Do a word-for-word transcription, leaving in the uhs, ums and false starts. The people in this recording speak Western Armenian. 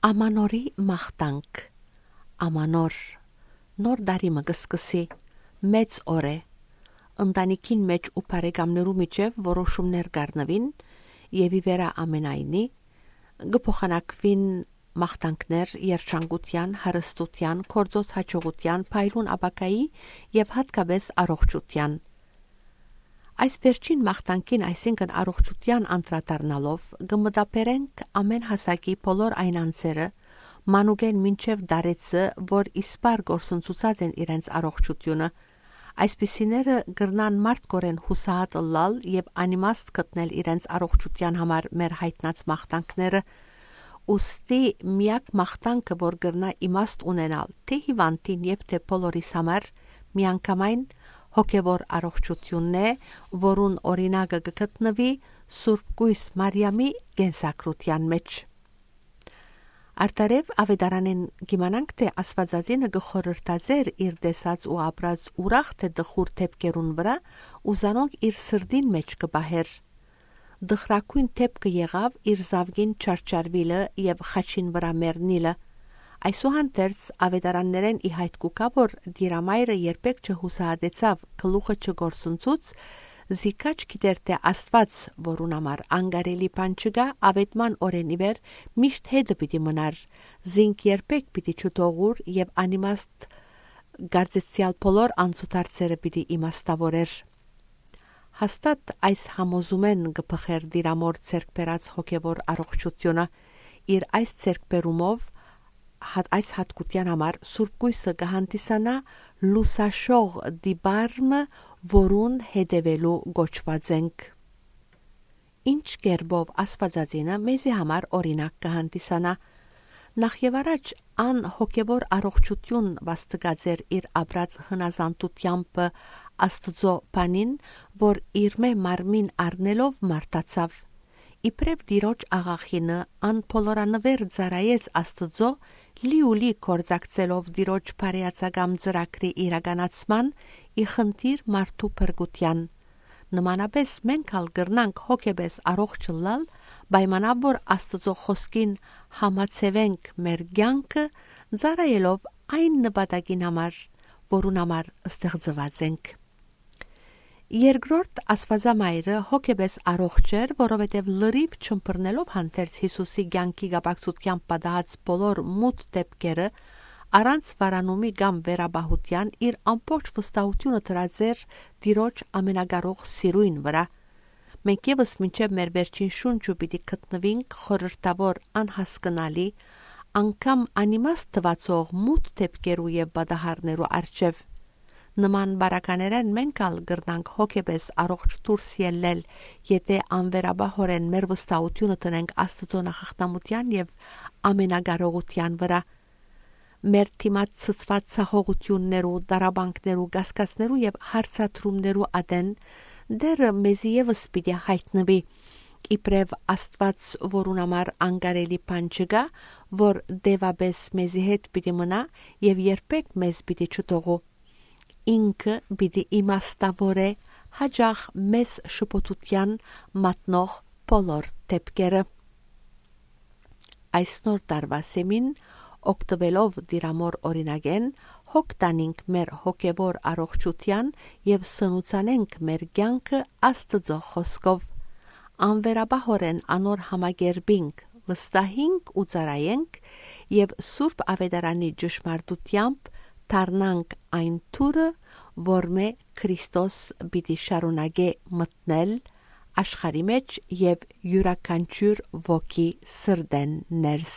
Ամանորի մաղթանք։ Ամանոր, նոր տարի մը կը սկսի, մեծ օր է։ Ընտանիքին մէջ ու բարեկամներու միջեւ որոշումներ կ'առնուին եւ ի վերայ ամենայնի կը փոխանակուին մաղթանքներ երջանկութեան, հարստութեան, գործոց յաջողութեան, փայլուն ապագայի եւ յատկապէս առողջութեան։ Այս վերջին մաղթանքին, այսինքն առողջութեան անդրադառնալով, կը մտաբերենք ամեն հասակի բոլոր այն անձերը, մանուկէն մինչեւ տարեցը, որ իսպառ կորսնցուցած են իրենց առողջութիւնը։ Այսպիսիները կրնան մարդկօրէն յուսահատ ըլլալ եւ անիմաստ գտնել իրենց առողջութեան համար մեր յայտնած մաղթանքները։ Ուստի միակ մաղթանքը, որ կրնայ իմաստ ունենալ թէ հիւանդին եւ թէ բոլորիս համար, միանգամայն հոգեւոր առողջութիւնն է, որուն օրինակը կը գտնուի Սուրբ Կոյս Մարիամի կենսագրութեան մէջ։ Արդարեւ, աւետարանէն կ'իմանանք թէ Աստուածածինը կը խորհրդածէր իր տեսած ու ապրած ուրախ թէ տխուր դէպքերուն վրայ ու զանոնք իր սրտին մէջ կը պահէր։ Տխրագոյն դէպքը եղաւ իր զաւկին չարչարուիլը եւ խաչին վրայ մեռնիլը։ Այսուհանդերձ, աւետարաններէն ի յայտ կու գայ, որ Տիրամայրը երբեք չյուսահատեցաւ, գլուխը չկորսնցուց, զի քաջ գիտէր թէ Աստուած, որուն համար անկարելի բան չկայ, աւետման օրէն ի վեր միշտ հետը պիտի մնար, զինք երբեք պիտի չթողուր եւ անիմաստ կարծեցեալ բոլոր անցուդարձերը պիտի իմաստաւորէր։ Հաստատ այս համոզումէն կը բխէր Տիրամօր ձեռք բերած հոգեւոր առողջութիւնը։ Իր այս ձեռքբերումով հատ-, այս յատկութեան համար Սուրբ Կոյսը կը հանդիսանայ լուսաշող տիպար մը, որուն հետեւելու կոչուած ենք։ Ինչ կերպով Աստուածածինը մեզի համար օրինակ կը հանդիսանայ։ Նախ եւ առաջ, ան հոգեւոր առողջութիւն վաստկած էր իր ապրած հնազանդութեամբը Աստուծոյ բանին, որ իրմէ մարմին առնելով մարդացաւ։ Իբրեւ Տիրոջ աղախինը, ան բոլորանուէր ծառայեց Աստուծոյ, լիուլի գործակցելով Տիրոջ բարեացակամ ծրագրի իրականացման ի խնդիր մարդու փրկութեան։ Նմանապէս մենք ալ կրնանք հոգեպէս առողջ ըլլալ, պայմանաւ որ Աստուծոյ խօսքին համաձայնենք մեր կեանքը, ծառայելով այն նպատակին համար, որուն համար ստեղծուած ենք։ Երկրորդ, Աստուածամայրը հոգեպէս առողջ էր, որովհետեւ լրիվ չըմբռնելով հանդերձ Յիսուսի կեանքի կապակցութեամբ պատահած բոլոր մութ դէպքերը, առանց վարանումի կամ վերապահութեան, իր ամբողջ վստահութիւնը դրած էր Տիրոջ ամենակարող սիրոյն վրայ։ Մենք եւս մինչեւ մեր վերջին շունչը պիտի գտնուինք խորհրդաւոր, անհասկնալի, անգամ անիմաստ թուացող մութ դէպքերու եւ պատահարներու առջեւ։ Նման բարականերէն մենք ալ կրնանք հոգեպէս առողջ դուրս ելլել, եթէ անվերապահօրէն մեր վստահութիւնը դնենք Աստուծոյ նախախնամութեան եւ ամենակարողութեան վրայ։ Մեր դիմաց ցցուած ցախողութիւններու, տառապանքներու, կասկածներու եւ հարցադրումներու ատեն Տէրը մեզի եւս պիտի յայտնուի, իբրեւ Աստուած, որուն համար անկարելի բան չկայ, որ տեւապէս մեզի հետ պիտի մնայ եւ երբեք մեզ պիտի չթողու։ Ինքը պիտի իմաստաւորէ յաճախ մեզ շփոթութեան մատնող բոլոր դէպքերը։ Այս նոր տարուայ սեմին, օգտուելով Տիրամօր օրինակէն, հոգ տանինք մեր հոգեւոր առողջութեան եւ սնուցանենք մեր կեանքը Աստուծոյ խօսքով։ Անվերապահօրէն անոր համակերպինք, վստահինք ու ծառայենք եւ Սուրբ Աւետարանի ճշմարտութեամբ դառնանք այն թուրը, որմէ Քրիստոս պիտի շարունակէ մտնել աշխարհի մէջ եւ իւրաքանչիւր ոգի սրտէն ներս։